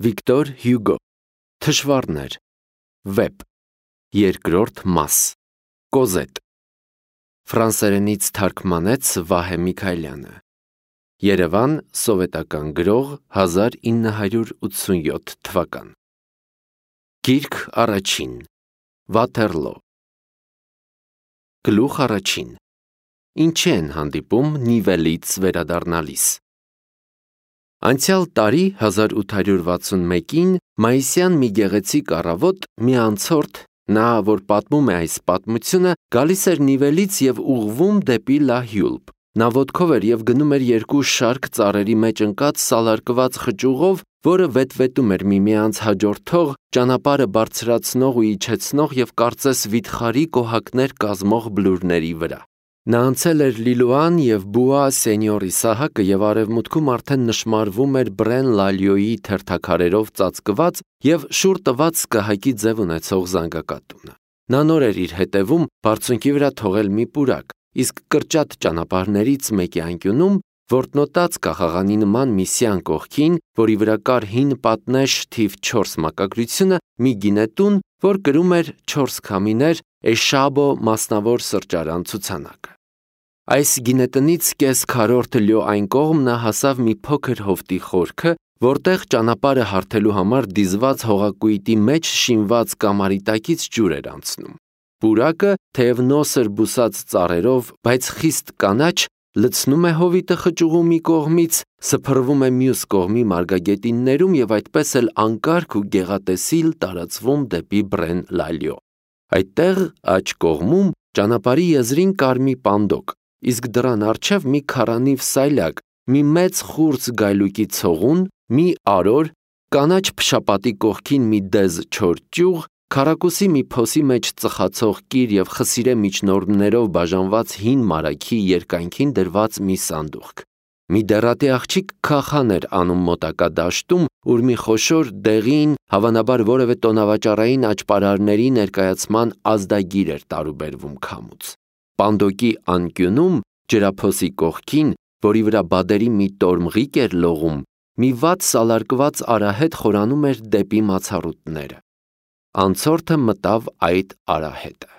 Վիկտոր Հյուգո Թշվառներ Վեպ Երկրորդ մաս Կոզետ Ֆրանսերենից թարգմանեց Վահե Միքայելյանը Երևան Սովետական գրող 1987 թվական Գիրք առաջին Վաթերլո Գլուխ առաջին Ինչի են հանդիպում Նիվելից վերադառնալիս Անցյալ տարի 1861-ին մայիսյան մի գեղեցիկ առավոտ մի անցորդ, նա որ պատմում է այս պատմությունը, գալիս էր Նիվելից և ուղղվում դեպի Լա Հյուլպ։ Նա ոտքով էր և գնում էր երկու շարք ծառերի մեջ ընկած սալարկված խճուղով, որը վետվետում էր միմյանց հաջորդող, ճանապարհը բարձրացնող ու իջեցնող և կարծես վիթխարի կոհակներ կազմող բլուրների վրա։ Նա անցել էր Լիլուան և Բուա Սենյորի սահակը և արևմուտքում արդեն նշմարվում էր Բրեն Լալյոյի թերթաքարերով ծածկված և շուռ տված սկահակի ձև ունեցող զանգակատունը։ Նա նոր էր իր հետևում բարձունքի վրա թողել մի պուրակ, իսկ կրճատ ճանապարհներից մեկի անկյունում, որտնոտած կաղաղանի նման մի սյան կողքին, որի վրա կար հին պատնեշ թիվ 4 մակագրությունը, մի գինետուն, որ կրում էր 4 քամիներ Էշաբո մասնավոր սրճարան ցուցանակը։ Այս գինետնից կես քառորդ լյո այն կողմ նա հասավ մի փոքր հովտի խորքը, որտեղ ճանապարհը հարթելու համար դիզված հողակույտի մեջ շինված կամարի տակից ջուր էր անցնում։ Պուրակը, թեև նոսր բուսած ծառերով, բայց խիստ կանաչ, լցնում է հովիտը խճուղու մի կողմից, սփռվում է մյուս կողմի մարգագետիններում և այդպես էլ անկարգ ու գեղատեսիլ տարածվում դեպի Բրեն Լալյո։ Այդտեղ աջ կողմում ճանապարհի եզրին կար մի պանդոկ, իսկ դռան առջև մի քառանիվ սայլակ, մի մեծ խուրձ գայլուկի ցողուն, մի արոր, կանաչ փշապատի կողքին մի դեզ չոր ճյուղ, քառակուսի մի փոսի մեջ ծխացող կիր և խսիրե միջնորդներով բաժանված հին մարագի երկայնքին դրված մի սանդուղք։ Մի դեռատի աղջիկ քախան էր անում մոտակա դաշտում, ուր մի խոշոր դեղին, հավանաբար որևէ տոնավաճառային աճպարարների ներկայացման ազդագիր էր տարուբերվում քամուց։ Պանդոկի անկյունում, ջրափոսի կողքին, որի վրա բադերի մի տորմղիկ էր լողում, մի վատ սալարկված արահետ խորանում էր դեպի մացառուտները։ Անցորդը մտավ այդ արահետը։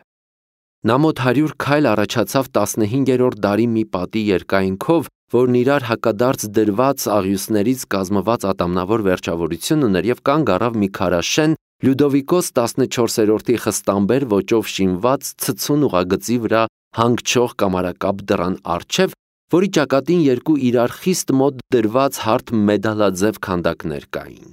Նա մոտ 100 քայլ առաջացավ 15-րդ դարի մի պատի երկայնքով, որն իրար հակադարձ դրված աղյուսներից կազմված ատամնավոր վերջավորություն ուներ և կանգ առավ մի քարաշեն Լյուդովիկոս 14-րդի խստամբեր ոճով շինված ցցուն ուղագծի վրա հանգչող կամարակապ դռան առջև, որի ճակատին երկու իրար խիստ մոտ դրված հարթ մեդալաձև քանդակներ կային։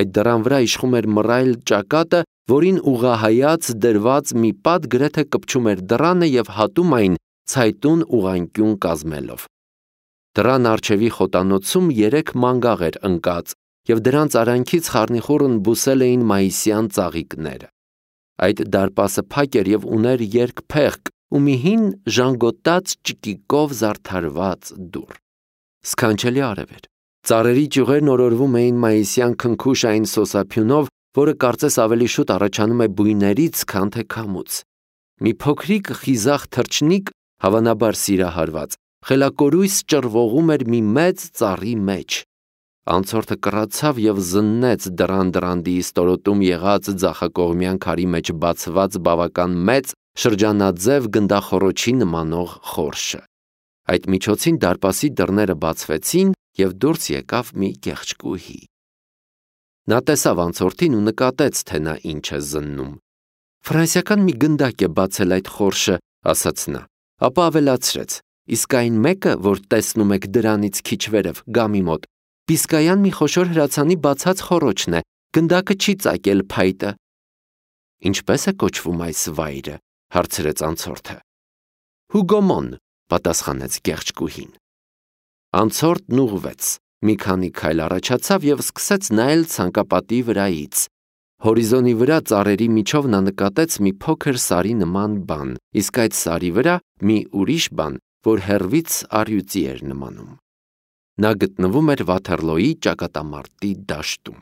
Այդ դռան վրա իշխում էր մռայլ ճակատը, որին ուղղահայաց դրված մի պատ գրեթե կպչում էր դռանը և հատում այն ցայտուն ուղղանկյուն կազմելով։ Դռան առջևի խոտանոցում 3 մանգաղ էր ընկած, և դրանց արանքից խառնիխուռն բուսել էին մայիսյան ծաղիկները։ Այդ դարպասը փակ էր և ուներ երկփեղկ ու մի հին ժանգոտած ճկիկով զարդարված դուռ։ Սքանչելի արև էր։ Ծառերի ճյուղերն օրորվում էին մայիսյան քնքուշային սոսափյունով, որը կարծես ավելի շուտ առաջանում է բույներից, քան թե քամուց։ Մի փոքրիկ խիզախ թռչնիկ, հավանաբար սիրահարված, խելակորույս ճռվողում էր մի մեծ ծառի մեջ։ Անցորդը կռացավ և զննեց դռան-դռանդի ստորոտում եղած ձախակողմյան քարի մեջ բացված բավական մեծ, շրջանաձև գնդախոռոչի նմանող խորշը։ Այդ միջոցին դարպասի դռները բացվեցին և դուրս եկավ մի կեղճկուհի։ Նա տեսավ անցորդին ու նկատեց, թե նա ինչ է զննում։ «Ֆրանսիական մի գնդակ է բացել այդ խորշը», ասաց նա, ապա ավելացրեց. «Իսկ այն մեկը, որ տեսնում եք դրանից քիչ վերև, գամի մոտ, Բիսկայան մի խոշոր հրացանի բացած խոռոչն է, գնդակը չի ծակել փայտը»։ «Ինչպե՞ս է կոչվում այս վայրը», հարցրեց անցորդը։ «Հուգոմոն», պատասխանեց կեղճկուհին։ Անցորդն ուղղվեց, մի քանի քայլ առաջացավ և սկսեց նայել ցանկապատի վրայից։ Հորիզոնի վրա ծառերի միջով նա նկատեց մի փոքր սարի նման բան, իսկ այդ սարի վրա մի ուրիշ բան, որ հեռվից առյուծի էր նմանում։ Նա գտնվում էր Վաթերլոյի ճակատամարտի դաշտում։